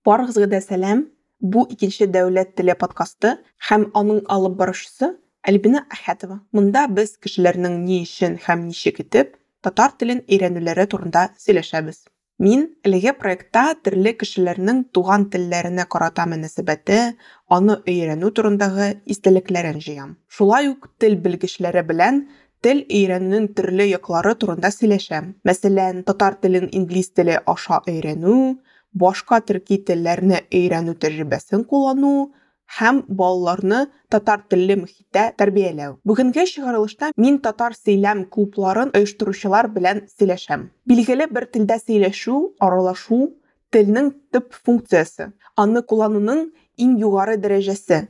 Барыгызга да сәлам! Бу икенче дәүләт теле подкасты һәм аның алып баручысы Альбина Әхәтова. Монда без кешеләрнең ни өчен һәм ничек итеп татар телен өйрәнүләре турында сөйләшәбез. Мин әлеге проектта төрле кешеләрнең туган телләренә карата мөнәсәбәте, аны өйрәнү турындагы истәлекләрен җыям. Шулай ук тел белгечләре белән тел өйрәнүнең төрле яклары турында сөйләшәм. Мәсәлән, татар телен инглиз теле аша өйрәнү, башка төрки телләрне өйрәнү тәҗрибәсен куллану һәм балаларны татар телле мохиттә тәрбияләү. Бүгенге чыгарылышта мин татар сөйләм клубларын оештыручылар белән сөйләшәм. Билгеле бер телдә сөйләшү, аралашу телнең төп функциясе, аны куллануның иң югары дәрәҗәсе.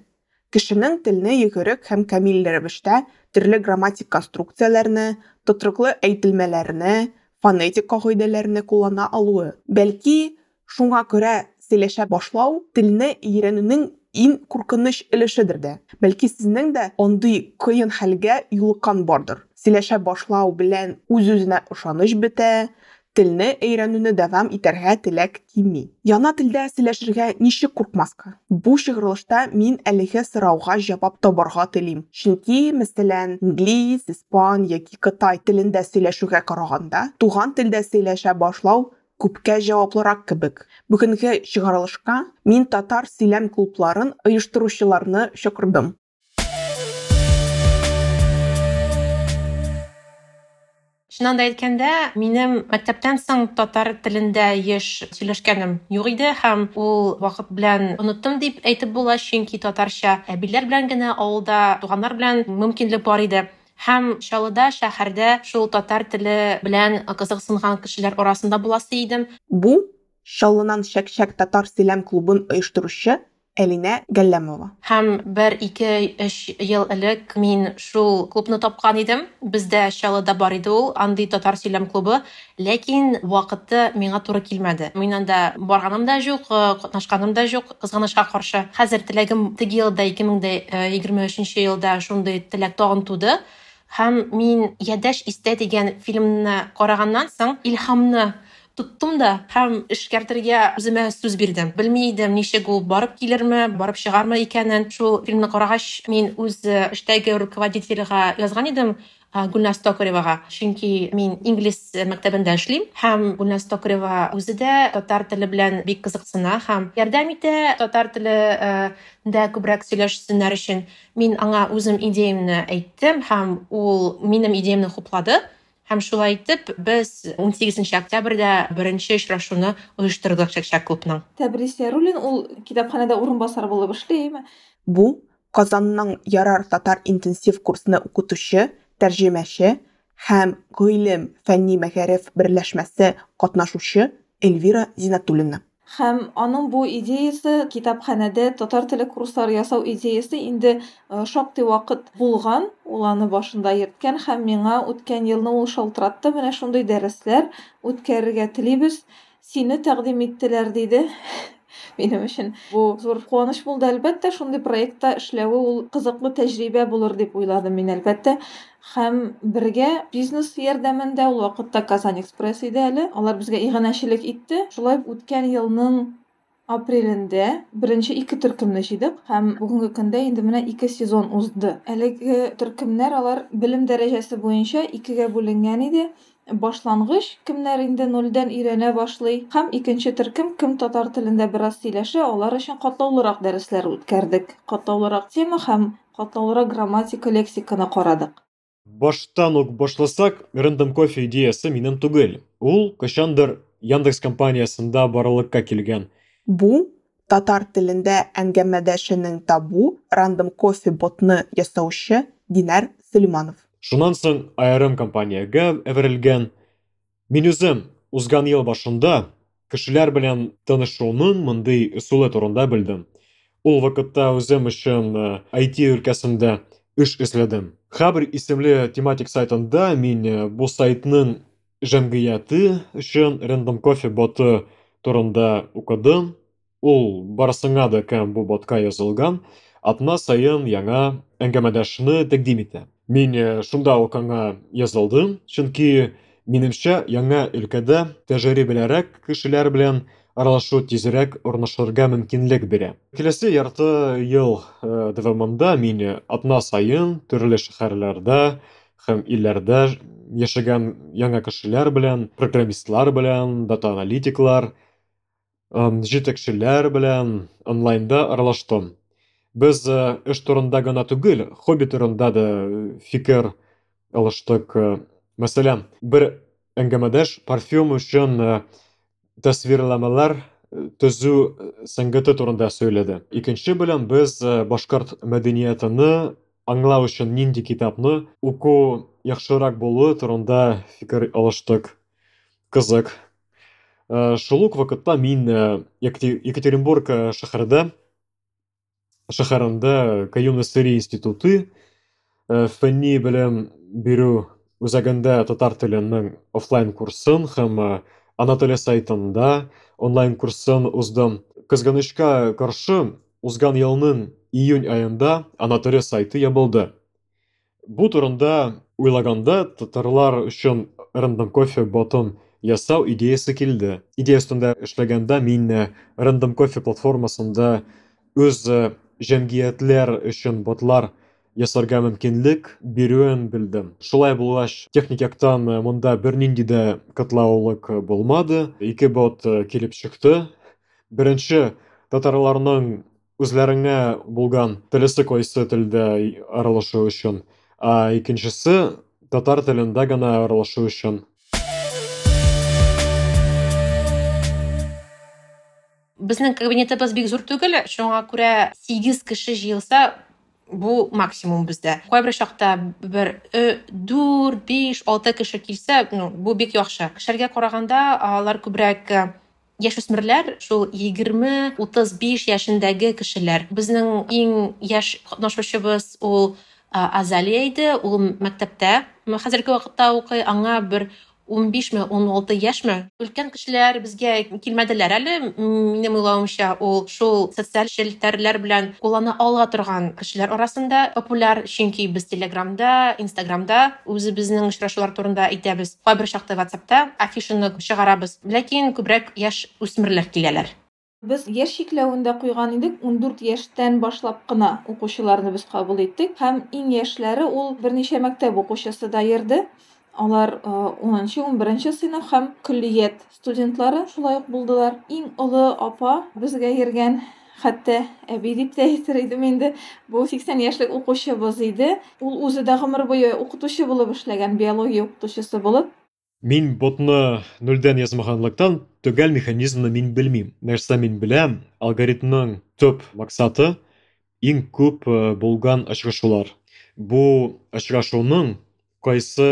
Кешенең телне йөгерек һәм камил рәвештә төрле грамматик конструкцияләрне, тотрыклы әйтелмәләрне, фонетик кагыйдәләрне куллана алуы. Бәлки, шуңа күрә сөйләшә башлау телне өйрәнүнең иң куркыныч өлешедер дә. Бәлки, сезнең дә андый кыен хәлгә юлыккан бардыр. Сөйләшә башлау белән үз-үзенә ышаныч бетә, телне өйрәнүне дәвам итәргә теләк кими. Яңа телдә сөйләшергә ничек куркмаска? Бу чыгарылышта мин әлеге сорауга җавап табарга телим. Чөнки, мәсәлән, инглиз, испан яки кытай телендә сөйләшүгә караганда, туган телдә сөйләшә башлау күпкә җаваплырак кебек. Бүгенге чыгарылышка мин татар сөйләм клубларын оештыручыларны чакырдым. Чыннан да әйткәндә, минем мәктәптән соң татар телендә еш сөйләшкәнем юк иде һәм ул вакыт белән оныттым дип әйтеп була, чөнки татарча әбиләр белән генә авылда туганнар белән мөмкинлек бар иде. Һәм Чаллыда шәһәрдә шул татар теле белән кызыксынган кешеләр арасында буласы идем. Бу Чаллынан Чәк-чәк татар сөйләм клубын оештыручы Әлинә Галләмова. Һәм бер, ике, өч ел элек мин шул клубны тапкан идем. Бездә Чаллыда бар иде ул, андый татар сөйләм клубы. Ләкин вакыты миңа туры килмәде. Мин анда барганым да юк, катнашканым да юк, кызганычка каршы. Хәзер теләгем теге елда, 2023 елда шундый теләк тагын туды. Һәм мин Ядәш истә дигән фильмны караганнан соң илһамны тоттым да һәм эшкәртергә үземә сүз бирдем. Белми идем, ничек ул барып килерме, барып чыгармы икәнен. Шул фильмны карагач, мин үз эштәге руководительгә язган идем, Гөлназ Токаревага. Чөнки мин инглиз мәктәбендә эшлим һәм Гөлназ Токарева үзе дә татар теле белән бик кызыксына һәм ярдәм итә татар теле дә күбрәк сөйләшсеннәр өчен. Мин аңа үзем идеямне әйттем һәм ул минем идеямне хуплады. Һәм шулай итеп без 18 октябрьдә беренче очрашуны оештырдык Чәк-чәк клубның. Тәбрис Яруллин ул китапханәдә урынбасар булып эшли, әйме? Бу Казанның Ярар татар интенсив курсны укытучы, тәрҗемәче һәм Гыйлем фәнни мәгариф берләшмәсе катнашучы Эльвира Зинатуллина. Һәм аның бу идеясы, китапханәдә татар теле курслары ясау идеясы инде шактый вакыт булган, ул аны башында йөрткән һәм миңа үткән елны ул шалтыратты, менә шундый дәресләр үткәрергә телибез, сине тәкъдим иттеләр, диде. Минем өчен бу зур куаныч булды, әлбәттә, шундый проектта эшләве ул кызыклы тәҗрибә булыр дип уйладым мин, әлбәттә. Һәм бергә бизнес ярдәмендә, ул вакытта Казан Экспресс иде әле, алар безгә иганәчелек итте. Шулай үткән елның апрелендә беренче ике төркемне җыйдык һәм бүгенге көндә инде менә 2 сезон узды. Әлеге төркемнәр алар белем дәрәҗәсе буенча икегә бүленгән иде. Башлангыч, кемнәр инде нольдән өйрәнә башлый, һәм икенче төркем, кем татар телендә бераз сөйләшә, алар өчен катлаулырак дәресләр үткәрдек. Катлаулырак тема һәм катлаулырак грамматика, лексиканы карадык. Баштан ук башласак, Random Coffee идеясы минем түгел. Ул кайчандыр Яндекс компаниясендә барлыкка килгән. Бу татар телендә әңгәмәдәшенең табу Random Coffee ботны ясаучы Динар Сөлейманов. Шуннан соң аерым компаниягә әверелгән. Мин үзем узган ел башында кешеләр белән танышуның мондый ысулы турында белдем. Ул вакытта үзем өчен IT өлкәсендә эш эзләдем. Хабр исемле тематик сайтында мин бу сайтның җәмгыяте өчен Random Coffee боты турында укыдым. Ул барысыңа да кем бу ботка язылган, атна саен яңа әңгәмәдәшне тәкъдим итә. Мин шунда ук аңа язылдым, чөнки минемчә яңа өлкәдә тәҗрибәлерәк кешеләр белән аралашу тизрәк урнашырга мөмкинлек бирә. Киләсе ярты ел дәвамында мин атна саен төрле шәһәрләрдә һәм илләрдә яшәгән яңа кешеләр белән, программистлар белән, дата-аналитиклар, җитәкчеләр белән онлайнда аралаштым. Без эш турында гына түгел, хобби турында да фикер алыштык. Мәсәлән, бер әңгәмәдәш парфюм өчен тасвирламалар төзү сәнгате турында сөйләде. Икенче белән без башкорт мәдәниятыны аңлау өчен нинди китапны уку яхшырак булуы турында фикер алыштык. Кызык. Шул ук вакытта мин Екатеринбург шәһәрендә Каюм Насыйри институты фәнни белем бирү үзәгендә татар теленең офлайн курсын һәм ана теле сайтында онлайн курсын уздым. Кызганычка каршы, узган елның июнь аенда ана теле сайты ябылды. Бу турында уйлаганда татарлар өчен Random Coffee ботын ясау идеясы килде. Идея өстендә эшләгәндә мин Random Coffee платформасында үз җәмгыятьләр өчен ботлар ясарга мөмкинлек бирүен белдем. Шулай булгач, техник яктан монда бернинди дә катлаулык булмады. Ике бот килеп чыкты. Беренче, татарларның үзләренә булган теләсә кайсы телдә аралашу өчен, ә икенчесе татар телендә генә аралашу өчен. Безнең кабинетыбыз бик зур түгел, шуңа күрә 8 кеше җыелса, бу максимум бездә. Кайбер чакта бер 4, 5, 6 кеше килсә, ну, бу бик яхшы. Кешеләргә караганда, алар күбрәк яшүсмерләр, шул 20-35 яшендәге кешеләр. Безнең иң яшь катнашучыбыз ул Азалия иде, ул мәктәптә хәзерге вакытта укый, аңа бер 15-ме, 16 яшьме. Өлкән кешеләр безгә килмәделәр әле. Минем уйлавымча, ул шул социаль челтәрләр белән куллана ала торган кешеләр арасында популяр, чөнки без Телеграмда, Инстаграмда үзебезнең очрашулар турында әйтәбез. Кайбер чакта WhatsAppта афишаны чыгарабыз. Ләкин күбрәк яшь үсмерләр киләләр. Без яшь чикләвен дә куйган идек, 14 яшьтән башлап кына укучыларны без кабул иттек. Һәм иң яшьләре ул берничә мәктәп укучысы да йөрде. Алар 10-нчы, 11-нче сыйныф һәм көллият студентлары шулай ук булдылар. Иң олы апа безгә йөргән, хәтта әби дип тә әйтер идем инде, бу 80 яшьлек укучыбыз иде. Ул үзе дә гомер буе укытучы булып эшләгән, биология укытучысы булып. Мин ботны нульдән язмаганлыктан төгәл механизмны мин белмим. Нәрсә мин беләм, алгоритмның төп максаты иң күп булган очрашулар. Бу очрашуның кайсы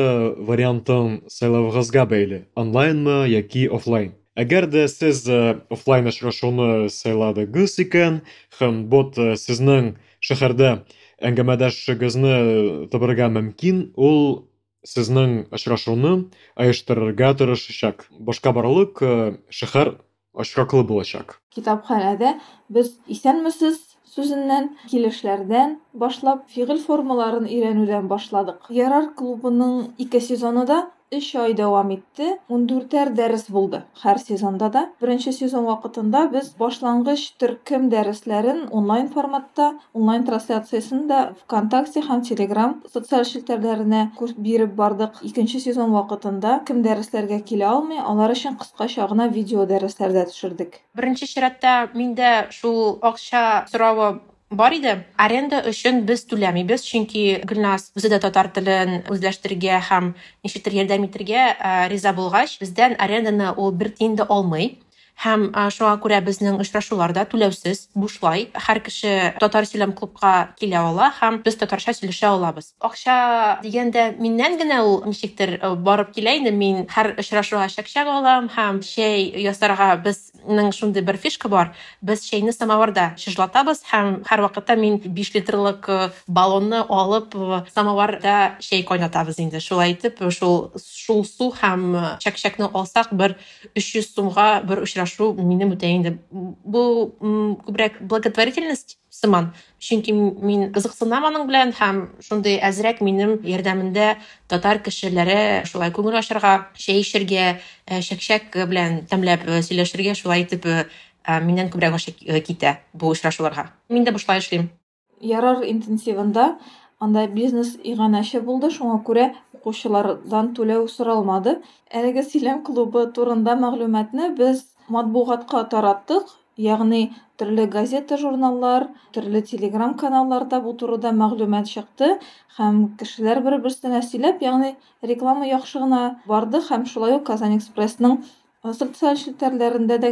вариантын сайлавыгызга бәйле, онлайнмы яки офлайн. Әгәр дә сез офлайн очрашуны сайладыгыз икән, һәм бот сезнең шәһәрдә әңгәмәдәшегезне табарга мөмкин, ул сезнең очрашуны оештырырга тырышачак. Башка барлык шәһәр очраклы булачак. Китапханәдә без исәнмесез сүзеннән, килешләрдән башлап, фигыль формаларын өйрәнүдән башладык. Ярар клубының 2 сезоны да 3 ай дәвам итте. 14-әр дәрес булды һәр сезонда да. Беренче сезон вакытында без башлангыч төркем дәресләрен онлайн форматта, онлайн трансляциясен дә ВКонтакте һәм Телеграм социаль челтәрләренә биреп бардык. Икенче сезон вакытында кем дәресләргә килә алмый, алар өчен кыскача гына видео дәресләр дә төшердек. Беренче чиратта миндә шул акча соравы бар иде. Аренда өчен без түләмибез, чөнки Гөлназ үзе дә татар телен үзләштерергә һәм ничектер ярдәм итәргә риза булгач, бездән аренданы ул бер тиен дә алмый. Һәм шуңа күрә безнең очрашулар да түләүсез, бушлай. Һәр кеше татар сөйләм клубка килә ала һәм без татарча сөйләшә алабыз. Акча дигәндә миннән генә ул ничектер барып килә инде. Мин һәр очрашуга чәкчәк алам һәм чәй ясарга безнең шундый бер фишка бар. Без чәйне самоварда чыжлатабыз һәм һәр вакытта мин 5 литрлык баллонны алып самоварда чәй кайнатабыз инде. Шулай итеп, шул су һәм чәкчәкне алсак, бер 300 сумга бер очрашу Очрашу минем үтә инде. Бу күбрәк благотворительность сыман. Чөнки мин кызыксынам аның белән һәм шундый әзрәк минем ярдәмендә татар кешеләре шулай күңел ачарга, чәй эчәргә, чәкчәк белән тәмләп сөйләшергә шулай итеп миннән күбрәк акча китә бу очрашуларга. Мин дә бушлай эшлим. Ярар интенсивында анда бизнес иганәче булды, шуңа күрә укучылардан түләү соралмады. Әлеге сөйләм клубы турында мәгълүматны без матбугатка тараттык, ягъни төрле газета, журналлар, төрле телеграм каналларда бу турыда мәгълүмат чыкты һәм кешеләр бер-берсенә сөйләп, ягъни реклама яхшы гына барды һәм шулай ук Казан Экспрессның социаль челтәрләрендә дә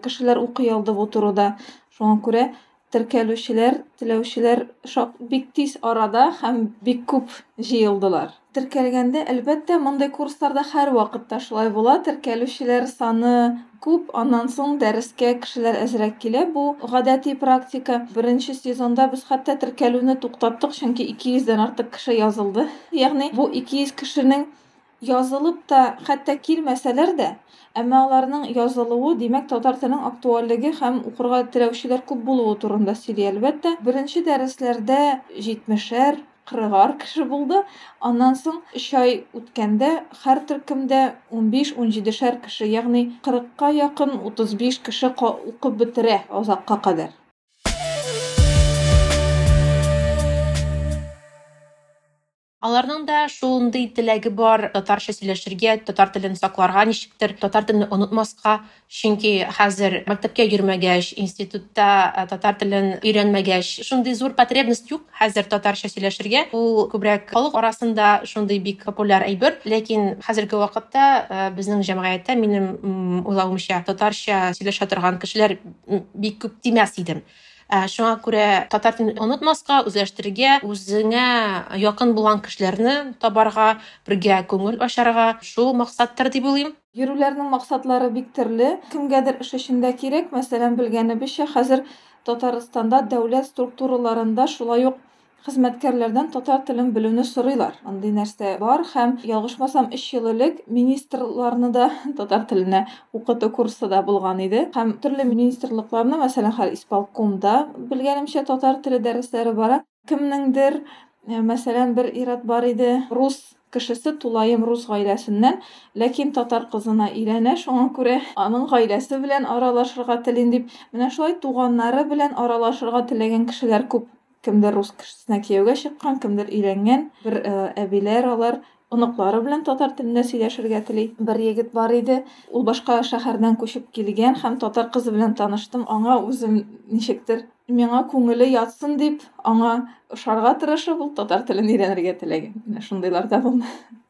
кешеләр укый алды бу турыда. Шуңа күрә теркәлүчеләр, теләүчеләр бик тиз арада һәм бик күп җыелдылар. Теркәлгәндә, әлбәттә, мондый курсларда һәр вакытта шулай була. Теркәлүчеләр саны күп, аннан соң дәрескә кешеләр әзрәк килә. Бу гадәти практика. Беренче сезонда без хәтта теркәлүне туктаттык, чөнки 200дән артык кеше язылды. Ягъни бу 200 кешенең язылып та хәтта килмәсәләр дә, әмма аларның язылуы, димәк, татар теленең актуальлеге һәм укырга теләүчеләр күп булуы турында сөйли, әлбәттә. Беренче дәресләрдә 70-әр, 40-ар кеше булды. Аннан соң 3 ай үткәндә һәр төркемдә 15-17-шәр кеше, ягъни 40-ка якын 35 кеше укып бетерә озакка кадәр. Аларның да шундый теләге бар татарча сөйләшергә, татар телен сакларга ничектер, татар телен онытмаска, чөнки хәзер мәктәпкә йөрмәгәч, институтта татар телен өйрәнмәгәч, шундый зур потребность юк хәзер татарча сөйләшергә. Ул күбрәк халык арасында шундый бик популяр әйбер, ләкин хәзерге вакытта безнең җәмгыятьтә, минем уйлавымча, татарча сөйләшә торган кешеләр бик күп димәс идем. Шуңа күрә татар телен онытмаска, үзләштерергә, үзеңә якын булган кешеләрне табарга, бергә күңел ачарга, шул максаттыр дип уйлыйм. Йөрүләрнең максатлары бик төрле. Кемгәдер эш өчен дә кирәк. Мәсәлән, белгәнебезчә, хәзер Татарстанда дәүләт структураларында шулай ук хезмәткәрләрдән татар телен белүне сорыйлар. Андый нәрсә бар һәм ялгышмасам 3 ел элек министрларны да татар теленә укыту курсы да булган иде. Һәм төрле министрлыкларны, мәсәлән, хәзер исполкомда белгәнемчә татар теле дәресләре бара. Кемнеңдер, мәсәлән, бер ир-ат бар иде, рус кешесе, тулаем рус гаиләсеннән, ләкин татар кызына өйләнә, шуңа күрә аның гаиләсе белән аралашырга телим дип, менә шулай туганнары белән аралашырга теләгән кешеләр күп. Кемдер рус кешесенә кияүгә чыккан, кемдер өйләнгән. Бер әбиләр алар оныклары белән татар телендә сөйләшергә тели. Бер егет бар иде, ул башка шәһәрдән күчеп килгән һәм татар кызы белән таныштым. Аңа үзем ничектер миңа күңеле ятсын дип, аңа ошарга тырышып, ул татар телен өйрәнергә теләгән. Менә шундыйлар да булды.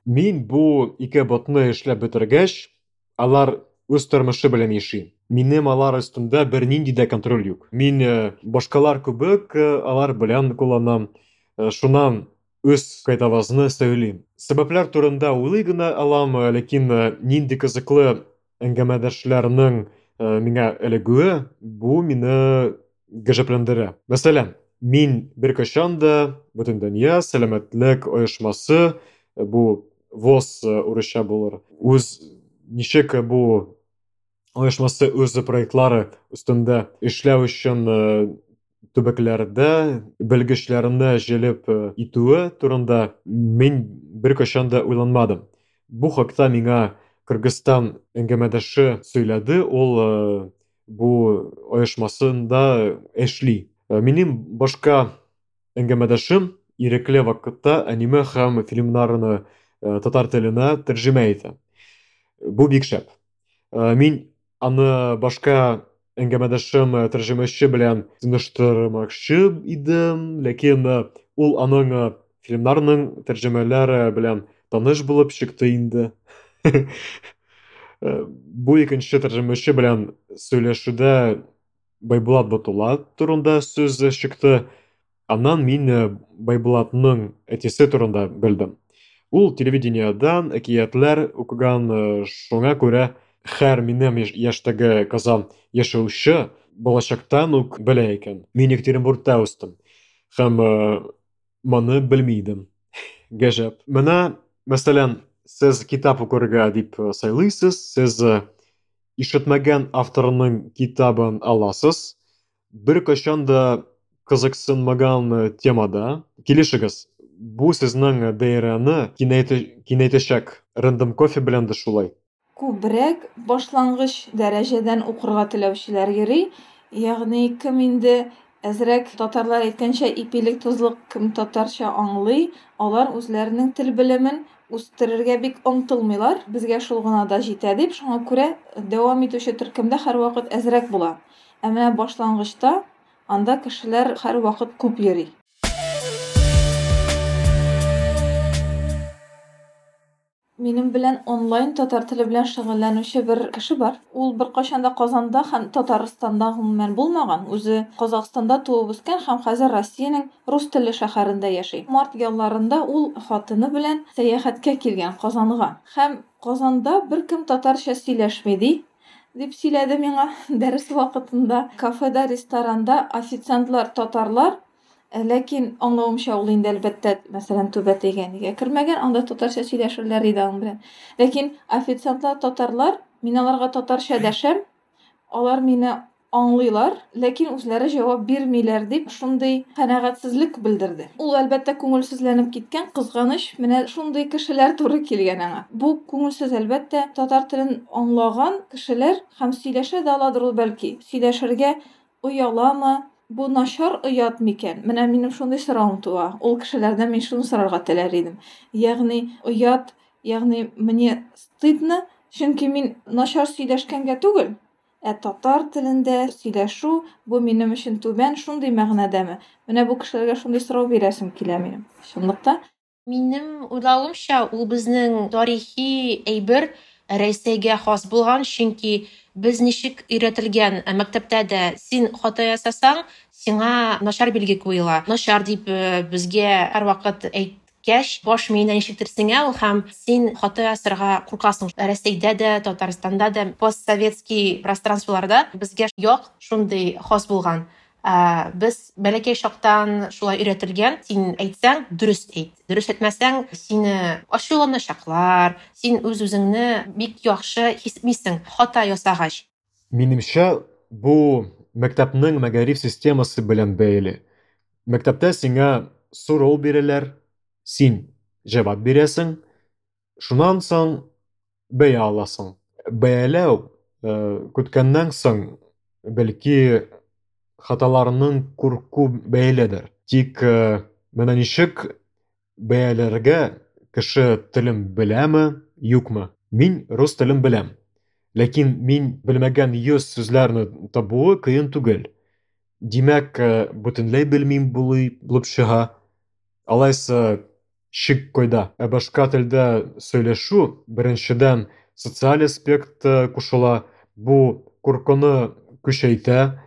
Мин бу ике ботны эшләп бетергәч, алар үз тормышы белән яши. Минем алар өстендә бернинди дә контроль юк. Мин башкалар кебек алар белән кулланам. Шуннан үз кайтавазны сөйлим. Сәбәпләр турында уйлый гына алам, ләкин нинди кызыклы әңгәмәдәшләрнең миңа эләгүе, бу мине гаҗәпләндерә. Мәсәлән, мин беркайчан да Бөтендөнья сәламәтлек оешмасы, бу ВОЗ урысча булыр, үз ничек бу оешмасы үз проектлары өстендә эшләү өчен төбәкләрдә белгечләрне җәлеп итүе турында мин беркайчан да уйланмадым. Бу хакта миңа Кыргызстан әңгәмәдәше сөйләде, ул бу оешмасында эшли. Минем башка әңгәмәдәшем ирекле вакытта аниме һәм фильмнарны татар теленә тәрҗемә итә. Бу бик шәп. Мин аны башка әңгәмәдәшем тәрҗемәче белән таныштырмакчы идем, ләкин ул аның фильмнарның тәрҗемәләре белән таныш булып чыкты инде. Бу икенче тәрҗемәче белән сөйләшүдә Байбулат Батулла турында сүз чыкты. Аннан мин Байбулатның әтисе турында белдем. Ул телевидениедән әкиятләр укыган, шуңа күрә һәр минем яшьтәге Казан яшәүче балачактан ук белә икән. Мин Екатеринбургта үстем һәм моны белми идем. Гаҗәп. Менә, мәсәлән, сез китап укырга дип сайлыйсыз, сез Ишетмәгән авторның китабын аласыз, беркайчан да кызыксынмаган темада килешегез. Бу сезнең даирәне киңәйтәчәк. Random Coffee белән дә шулай. Күбрәк башлангыч дәрәҗәдән укырга теләүчеләр йөри. Ягъни кем инде әзрәк, татарлар әйткәнчә, ипилек тозлык, кем татарча аңлый, алар үзләренең тел белемен үстерергә бик омтылмыйлар. Безгә шул гына да җитә дип, шуңа күрә дәвам итүче төркемдә һәрвакыт әзрәк була. Ә менә башлангычта анда кешеләр һәрвакыт күп йөри. Минем белән онлайн татар теле белән шөгыльләнүче бер кеше бар. Ул беркайчан да Казанда һәм Татарстанда гомумән булмаган. Үзе Казахстанда туып үскән һәм хәзер Россиянең рус телле шәһәрендә яши. Март ялларында ул хатыны белән сәяхәткә килгән Казанга. Һәм Казанда беркем татарча сөйләшми ди, дип сөйләде миңа дәрес вакытында. Кафеда, ресторанда официантлар татарлар, ләкин аңлавымча ул инде әлбәттә, мәсәлән, түбәтәйгә нигә кермәгән, анда татарча сөйләшерләр иде аның белән. Ләкин официантлар татарлар, мин аларга татарча дәшәм, алар мине аңлыйлар, ләкин үзләре җавап бирмиләр дип шундый канәгатьсезлек белдерде. Ул әлбәттә күңелсезләнеп киткән, кызганыч, менә шундый кешеләр туры килгән аңа. Бу күңелсез әлбәттә, татар телен аңлаган кешеләр һәм сөйләшә дә аладыр ул бәлки. Сөйләшергә ояламы? Бу начар оят микән? Менә минем шундый соравым туа. Ул кешеләрдән мин шуны сорарга теләр идем. Ягъни оят, ягъни мне стыдно, чөнки мин начар сөйләшкәнгә түгел, ә татар телендә сөйләшү бу минем өчен түбән, шундый мәгънәдәме? Менә бу кешеләргә шундый сорау бирәсем килә минем. Чынлыкта. Минем уйлавымча, ул безнең тарихи әйбер Рәсәйгә хас булган, чөнки без ничек өйрәтелгән мәктәптә дә син хата ясасаң, сиңа начар билге куела. Начар дип безгә һәрвакыт әйткәч, баш миенә ничектер сеңә ул һәм син хата ясарга куркасың. Рәсәйдә дә, Татарстанда да, постсоветский пространстволарда безгә як шундый хас булган. Без бәләкәй чактан шулай өйрәтелгән, син әйтсәң, дөрес әйт. Дөрес әйтмәсәң, сине ачуланачаклар, син үз-үзеңне бик яхшы хис итмисең хата ясагач. Минемчә, бу мәктәпнең мәгариф системасы белән бәйле. Мәктәптә сиңа сорау бирәләр, син җавап бирәсең, шуннан соң бәя аласың. Бәяләү көткәннән соң, бәлки хаталарның курку бәйледер. Тик менә ничек бәяләргә кеше телен беләме, юкмы? Мин рус телен беләм. Ләкин мин белмәгән 100 сүзләрне табуы кыен түгел. Димәк, бөтенләй белмим булып чыга. Алайса шик кайда? Ә башка телдә сөйләшү беренчедән социаль аспект кушыла, бу куркуны көчәйтә.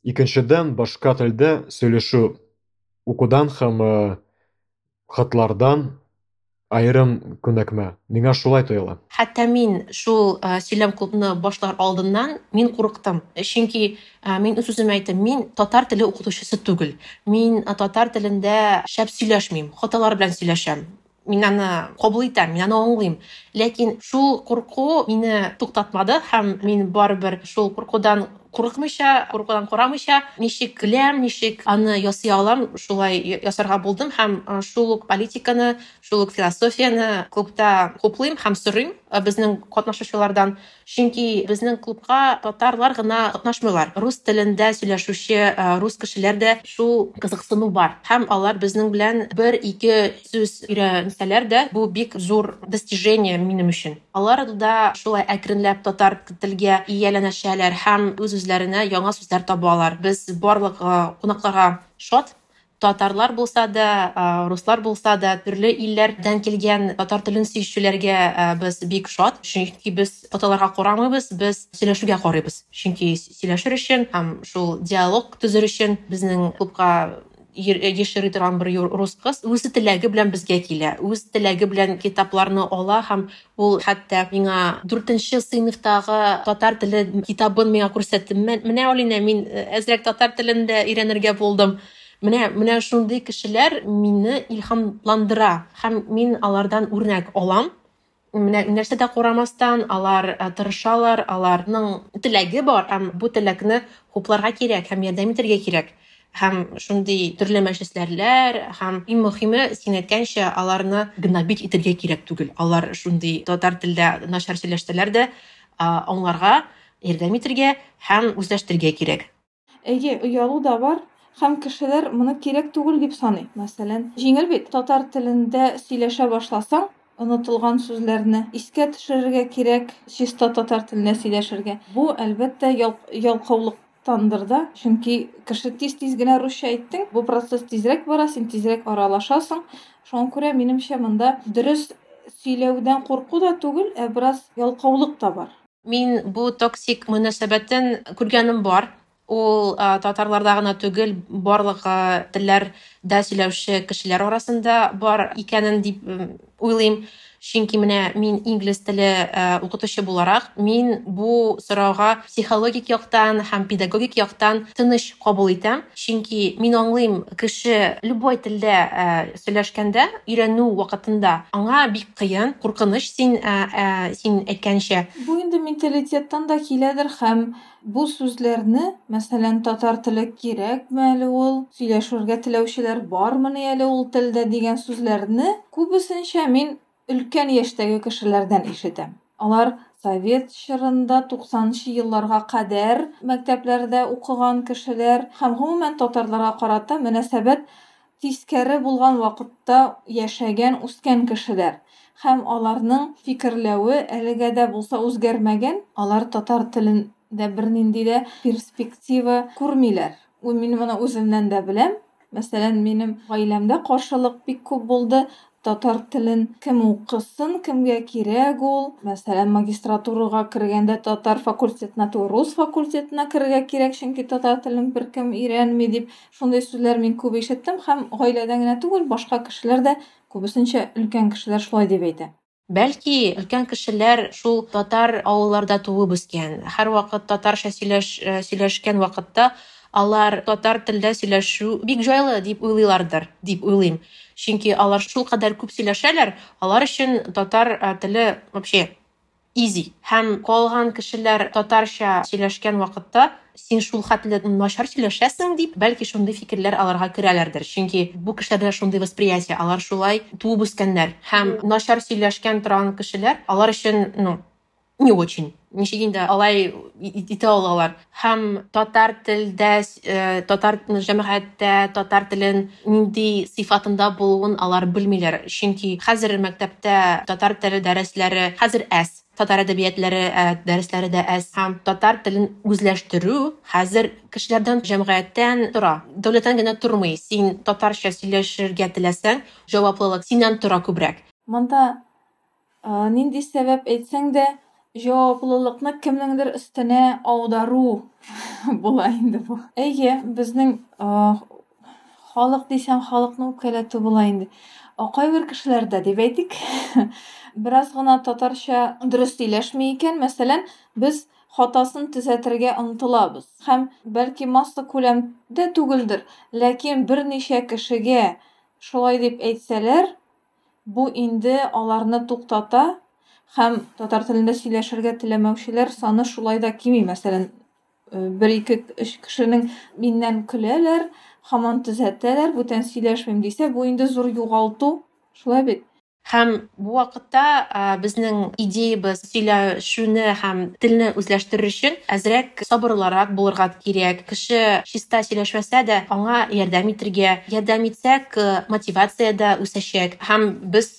Икенчедән, башка телдә сөйләшү укудан һәм хатлардан аерым күнекмә. Миңа шулай тоела. Хәтта мин шул сөйләм клубны башлар алдыннан мин курыктым. Чөнки мин үз үземә әйттем, мин татар теле укытучысы түгел. Мин татар телендә шәп сөйләшмим, хаталар белән сөйләшәм. Мин аны кабул итәм, мин аны аңлыйм. Ләкин шул курку мине туктатмады һәм мин барыбер шул куркудан курыкмыйча, куркудан карамыйча, ничек беләм, ничек аны ясый алам, шулай ясарга булдым һәм шул ук политиканы, шул ук философияне клубта хуплыйм һәм сорыйм безнең катнашучылардан. Чөнки безнең клубка татарлар гына катнашмыйлар. Рус телендә сөйләшүче рус кешеләр дә шул кызыксыну бар. Һәм алар безнең белән бер-ике сүз өйрәнсәләр дә, бу бик зур достижение минем өчен. Алар да шулай әкренләп татар телгә ияләнәшәләр һәм үз-үзләренә яңа сүзләр табалар. Без барлык кунакларга шат. Татарлар булса да, руслар булса да, төрле илләрдән килгән татар телен сөючеләргә без бик шат. Чөнки без татарларга карамыйбыз, без сөйләшүгә карыйбыз. Чөнки сөйләшер өчен һәм шул диалог төзер өчен безнең клубка еш йөри торган бер рус кыз үз теләге белән безгә килә, үз теләге белән китапларны ала һәм ул хәтта миңа 4 сыйныфтагы татар теле китабын миңа күрсәтте. Менә, Алинә, мин әзрәк татар телен дә өйрәнергә булдым. Менә шундый кешеләр мине илһамландыра һәм мин алардан үрнәк алам. Нәрсә дә карамастан, алар тырышалар, аларның теләге бар, һәм бу теләкне хупларга кирәк һәм ярдәм итәргә кирәк. Һәм шундый төрле мәҗлесләрләр, һәм иң мөһиме, син әйткәнчә, аларны гнобить итәргә кирәк түгел. Алар шундый татар телдә начар сөйләшсәләр дә, аңларга, ярдәм итәргә һәм үзләштерергә кирәк. Әйе, оялу да бар, һәм кешеләр моны кирәк түгел дип саный. Мәсәлән, җиңел бит, татар телендә сөйләшә башласаң, онытылган сүзләрне искә төшерергә кирәк, чиста татар телендә сөйләшергә. Бу, әлбәттә, ялкаулыктандыр да, чөнки кеше тиз-тиз генә русча әйттең, бу процесс тизрәк бара, син тизрәк аралашасың. Шуңа күрә, минемчә, монда дөрес сөйләүдән курку да түгел, ә бераз ялкаулык та бар. Мин бу токсик мөнәсәбәтен күргәнем бар. Ул татарларда гына түгел, барлык телләрдә сөйләүче кешеләр арасында бар икәнен дип уйлыйм. Чөнки менә мин инглиз теле укытучы буларак, мин бу сорауга психологик яктан һәм педагогик яктан тыныч кабул итәм. Чөнки мин аңлыйм, кеше любой телдә сөйләшкәндә, өйрәнү вакытында аңа бик кыен, куркыныч, син әйткәнчә. Бу инде менталитеттан да киләдер һәм бу сүзләрне, мәсәлән, татар теле кирәкме әле ул, сөйләшергә теләүчеләр бармыни әле ул телдә дигән сүзләрне күбесенчә мин өлкән яшьтәге кешеләрдән ишетәм. Алар совет чорында 90нчы елларга кадәр мәктәпләрдә укыган кешеләр һәм гомумән татарларга карата мөнәсәбәт тискәре булган вакытта яшәгән, үскән кешеләр. Һәм аларның фикерләве әлегә дә булса үзгәрмәгән. Алар татар телендә бернинди дә перспектива күрмиләр. Мин моны үземнән дә беләм. Мәсәлән, минем гаиләмдә каршылык бик күп булды. Татар телен кем укысын, кемгә кирәк ул? Мәсәлән, магистратурага кергәндә татар факультетына түгел, рус факультетына керергә кирәк, чөнки татар телен беркем өйрәнми дип, шундый сүзләр мин күп ишеттем һәм гаиләдән генә түгел, башка кешеләр дә, күбесенчә өлкән кешеләр шулай дип әйтә. Бәлки, өлкән кешеләр шул татар авылларда туып үскән, һәрвакыт татарча сөйләшкән вакытта алар татар телдә сөйләшү бик җайлы дип уйлыйлардыр, дип уйлыйм. Чөнки алар шул кадәр күп сөйләшәләр, алар өчен татар теле вообще easy. Һәм калган кешеләр татарча сөйләшкән вакытта син шул хәтле начар сөйләшәсең дип, бәлки шундый фикерләр аларга керәләрдер. Чөнки бу кешеләрдә шундый восприятие, алар шулай туып үскәннәр. Һәм начар сөйләшкән торган кешеләр алар өчен, ну, не очень. Ничек инде алай итә алалар. Һәм татар телдә, татар җәмәгатьтә татар телен нинди сыйфатында булуын алар белмиләр. Чөнки хәзер мәктәптә татар теле дәресләре хәзер әз. Татар әдәбиятләре дәресләре дә әз. Һәм татар телен үзләштерү хәзер кешеләрдән, җәмгыятьтән тора. Дәүләттән генә тормый. Син татарча сөйләшергә теләсәң, җаваплылык синнән тора күбрәк. Монда нинди сәбәп әйтсәң дә, җаваплылыкны кемнеңдер өстенә аудару була инде бу. Әйе, безнең халык дисәң, халыкны үпкәләтү була инде. Кайбер кешеләрдә дип әйтик, бераз гына татарча дөрес сөйләшми икән, мәсәлән, без хатасын төзәтергә омтылабыз. Һәм бәлки масса күләмдә түгелдер, ләкин берничә кешегә шулай дип әйтсәләр, бу инде аларны туктата. Һәм татар телендә сөйләшергә теләмәүчеләр саны шулай да кими. Мәсәлән, бер, ике, өч кешенең миннән көләләр, һаман төзәтәләр, бүтән сөйләшмим дисә, бу инде зур югалту, шулай бит? Һәм бу вакытта безнең идеябез сөйләшүне һәм телне үзләштерер өчен әзрәк сабырлырак булырга кирәк. Кеше чиста сөйләшмәсә дә, аңа ярдәм итергә, ярдәм итсәк, мотивация дә үсәчәк. Һәм без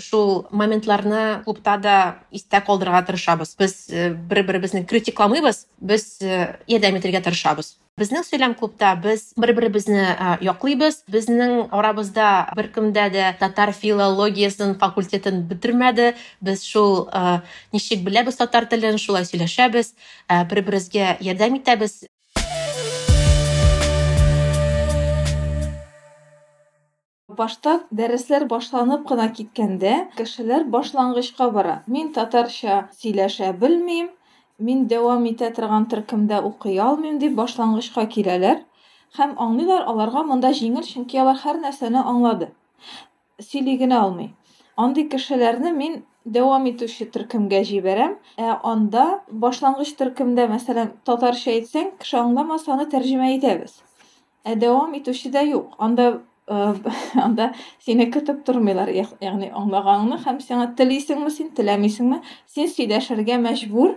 шул моментларны клубта да истә калдырырга тырышабыз. Без бер-беребезне критикламыйбыз, без ярдәм итергә тырышабыз. Безнең сөйләм клубта без бер-беребезне яклыйбыз. Безнең арабызда беркемдә дә татар филологиясен факультетын бетермәде. Без шул ничек беләбез татар телен, шулай сөйләшәбез, бер-беребезгә ярдәм итәбез. Башта дәресләр башланып кына киткәндә, кешеләр башлангычка бара. Мин татарча сөйләшә белмим, мин дәвам итә торган төркемдә укый алмыйм дип башлангычка киләләр һәм аңлыйлар, аларга монда җиңел, чөнки алар һәр нәрсәне аңлады. Сөйли генә алмый. Андый кешеләрне мин дәвам итүче төркемгә җибәрәм. Ә анда башлангыч төркемдә, мәсәлән, татарча әйтсәң, кеше аңламаса, аны тәрҗемә итәбез. Ә дәвам итүче дә юк. Анда анда сине көтеп тормыйлар, ягъни аңлаганыңны һәм сиңа телисеңме син, теләмисеңме, син сөйләшергә мәҗбүр.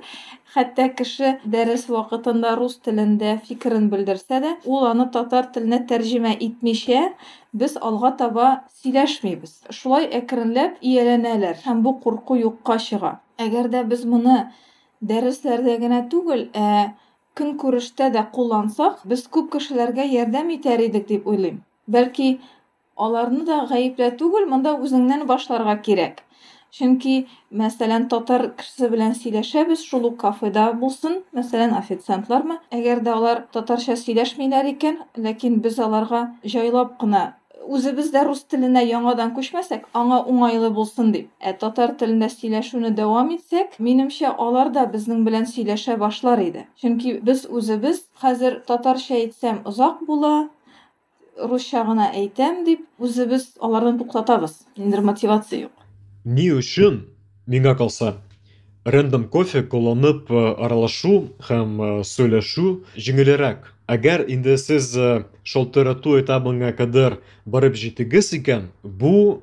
Хәтта кеше дәрес вакытында рус телендә фикерен белдерсә дә, ул аны татар теленә тәрҗемә итмичә, без алга таба сөйләшмибез. Шулай әкренләп ияләнәләр һәм бу курку юкка чыга. Әгәр дә без моны дәресләрдә генә түгел, ә көнкүрештә дә куллансак, без күп кешеләргә ярдәм итәр идек дип уйлыйм. Бәлки, аларны да гаеплә түгел, монда үзеңнән башларга кирәк. Чөнки, мәсәлән, татар кешесе белән сөйләшәбез, шул ук кафеда булсын, мәсәлән, официантлармы, әгәр дә алар татарча сөйләшмиләр икән, ләкин без аларга җайлап кына үзебез дә рус теленә яңадан күчмәсәк, аңа уңайлы булсын дип. Ә татар телендә сөйләшүне дәвам итсәк, минемчә, алар да безнең белән сөйләшә башлар иде. Чөнки без үзебез хәзер татарча әйтсәм озак була, русча гына әйтәм дип, үзебез аларны туктатабыз. Ниндидер мотивация юк. Ни өчен, миңа калса, рандом кофе кулланып аралашу һәм сөйләшү җиңелрәк. Әгәр инде сез шалтырату этабына кадәр барып җитегез икән, бу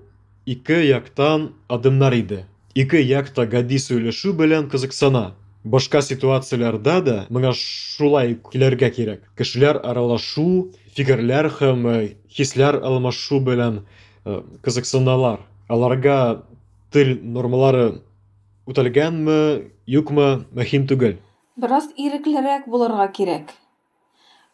ике яктан адымнар иде. Ике як та гади сөйләшү белән кызыксына. Башка ситуацияләрдә дә моңа шулай килергә кирәк. Кешеләр аралашу, фикерләр һәм хисләр алмашу белән кызыксыналар. Аларга тел нормалары үтәлгәнме, юкмы, мөһим түгел. Бераз иреклерәк булырга кирәк.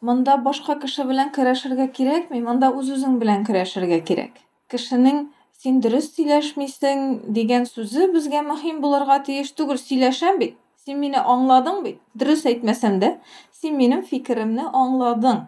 Монда башка кеше белән көрәшергә кирәкми, монда үз-үзең белән көрәшергә кирәк. Кешенең син дөрес сөйләшмисең дигән сүзе безгә мөһим булырга тиеш түгел. Сөйләшәм бит, син мине аңладың бит. Дөрес әйтмәсәм дә, син минем фикеремне аңладың.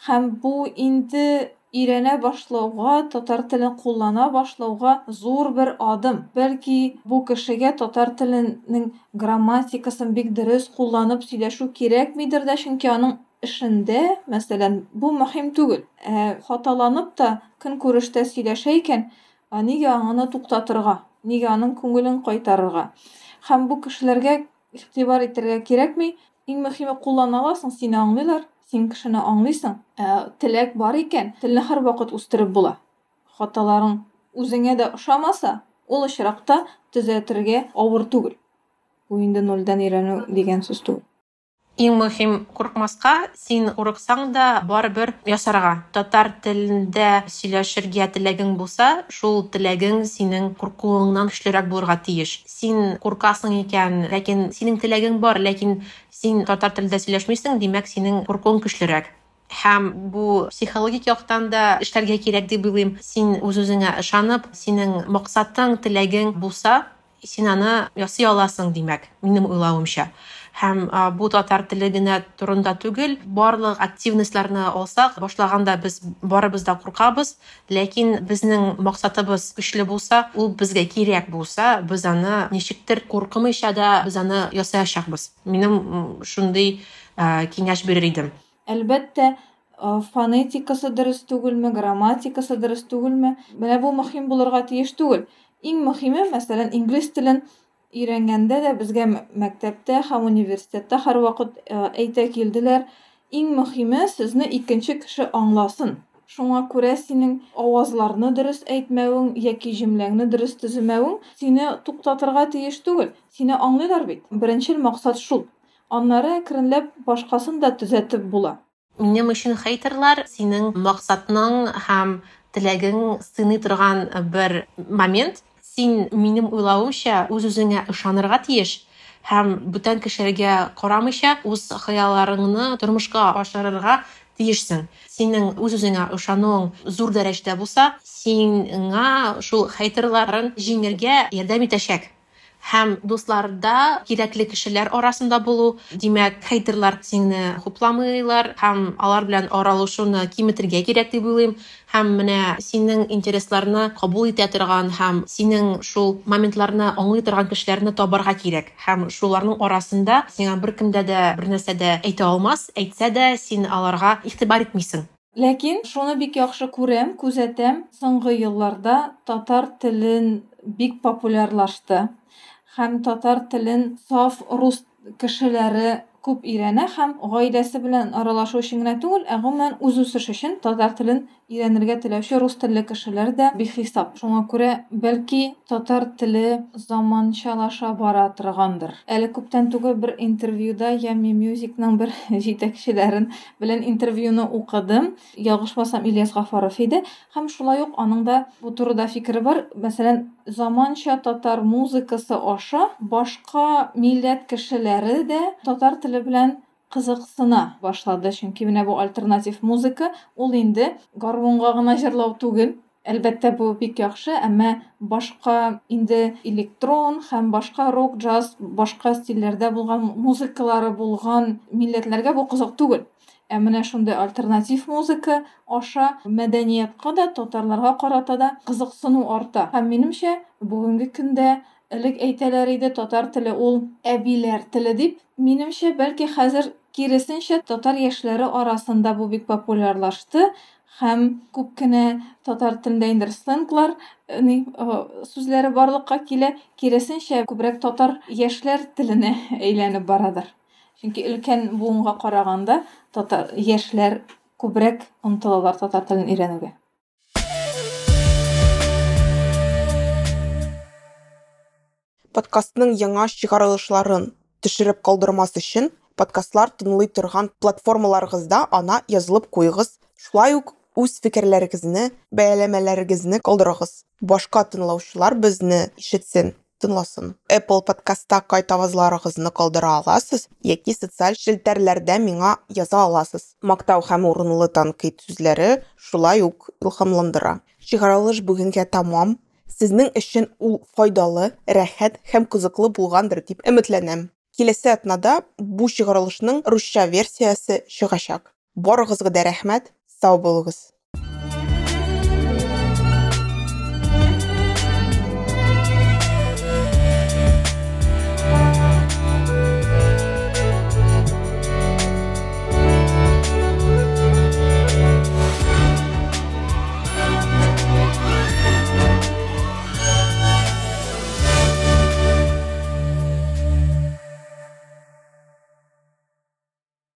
Һәм бу инде өйрәнә башлауга, татар телен куллана башлауга зур бер адым. Бәлки бу кешегә татар теленең грамматикасын бик дөрес кулланып сөйләшү кирәкмидер дә, чөнки аның эшендә, мәсәлән, бу мөһим түгел. Ә хаталанып та көнкүрештә сөйләшә икән, нигә аны туктатырга, нигә аның күңелен кайтарырга? Һәм бу кешеләргә игътибар итәргә кирәкми. Иң мөһиме куллана аласың, сине аңлыйлар, син кешене аңлыйсың. Теләк бар икән, телне һәрвакыт үстереп була. Хаталарың үзеңә дә ошамаса, ул очракта төзәтергә авыр түгел. Бу инде нольдән өйрәнү дигән сүз түгел. Иң мөһим курыкмаска, син курыксаң да барыбер ясарга. Татар телендә сөйләшергә теләгең булса, шул теләгең синең куркуыңнан көчлерәк булырга тиеш. Син куркасың икән, ләкин синең теләгең бар, ләкин син татар телендә сөйләшмисең, димәк, синең куркуың көчлерәк. Һәм бу психологик яктан да эшләргә кирәк дип уйлыйм. Син үз-үзеңә ышанып, синең максатың, теләгең булса, син аны ясый аласың, димәк, минем уйлавымча. Һәм бу татар теле генә турында түгел, барлык активностьларны алсак, башлаганда без барыбыз да куркабыз, ләкин безнең максатыбыз көчле булса, ул безгә кирәк булса, без аны ничектер куркымыйча да без аны ясаячакбыз. Минем шундый киңәш бирер идем. Әлбәттә, фонетикасы дөрес түгелме, грамматикасы дөрес түгелме, менә бу мөһим булырга тиеш түгел. Иң мөһиме, мәсәлән, инглиз телен өйрәнгәндә дә безгә мәктәптә һәм университетта һәрвакыт әйтә килделәр, иң мөһиме сезне икенче кеше аңласын. Шуңа күрә синең авазларны дөрес әйтмәвең яки җөмләңне дөрес төземәвең сине туктатырга тиеш түгел. Сине аңлыйлар бит. Беренчел максат шул. Аннары әкренләп башкасын да төзәтеп була. Минем өчен хейтерлар синең максатның һәм теләгең сыный торган бер момент. Син, минем уйлавымча, үз-үзеңә ышанырга тиеш һәм бүтән кешеләргә карамыйча үз хыялларыңны тормышка ашырырга тиешсең. Синең үз-үзеңә ышануың зур дәрәҗәдә булса, сиңа шул хейтерларын җиңергә ярдәм итәчәк. Һәм дусларда кирәкле кешеләр арасында булу, димәк, хейтерлар сине хупламыйлар һәм алар белән аралашуны киметергә кирәк дип уйлыйм. Һәм менә синең интересларны кабул итә торган һәм синең шул моментларны аңлый торган кешеләрне табарга кирәк. Һәм шуларның арасында сиңа беркемдә дә бер нәрсә дә әйтә алмас, әйтсә дә син аларга игътибар итмисең. Ләкин шуны бик яхшы күрәм, күзәтәм, соңгы елларда татар телен бик популярлашты. Һәм татар телен саф рус кешеләре күп өйрәнә һәм гаиләсе белән аралашу өчен генә түгел, ә гомумән үз үсеш өчен татар телен өйрәнергә теләүче рус телле кешеләр дә бихисап. Шуңа күрә, бәлки, татар теле заманчалаша бара торгандыр. Әле күптән түгел бер интервьюда Yummy Musicның бер җитәкчеләрен белән интервьюны укыдым. Ялгышмасам, Ильяс Гафаров иде. Һәм шулай ук аның да бу турыда фикере бар. Мәсәлән, заманча татар музыкасы аша башка милләт кешеләре дә татар теле белән кызыксына башлады. Чөнки менә бу альтернатив музыка ул инде гармунга гына җырлау түгел. Әлбәттә, бу бик яхшы, әмма башка инде электрон һәм башка рок, джаз, башка стильләрдә булган музыкалары булган милләтләргә бу кызык түгел. Ә менә шундый альтернатив музыка аша мәдәниятка да, татарларга карата да кызыксыну арта. Һәм минемчә, бүгенге көндә элек әйтәләр иде, татар теле ул әбиләр теле дип. Минемчә, бәлки хәзер киресенчә татар яшьләре арасында бу бик популярлашты. Һәм күп кенә татар телендә инде сленглар, сүзләре барлыкка килә. Киресенчә, күбрәк татар яшьләр теленә әйләнеп барадыр. Чөнки өлкән буынга караганда татар яшьләр күбрәк омтылалар татар телен өйрәнүгә. Подкастның яңа чыгарылышларын төшереп калдырмас өчен подкастлар тыңлый торган платформаларыгызда ана язылып куегыз. Шулай ук үз фикерләрегезне, бәяләмәләрегезне калдырыгыз. Башка тыңлаучылар безне ишетсен, тыңласын. Apple подкастта кайтавазларыгызны калдыра аласыз яки социаль челтәрләрдә миңа яза аласыз. Мактау һәм урынлы тәнкыйть сүзләре шулай ук илһамландыра. Чыгарылыш бүгенгә тамам. Сезнең өчен ул файдалы, рәхәт һәм кызыклы булгандыр дип өметләнәм. Киләсе атнада бу чыгарылышның русча версиясе чыгачак. Барыгызга да рәхмәт, сау булыгыз.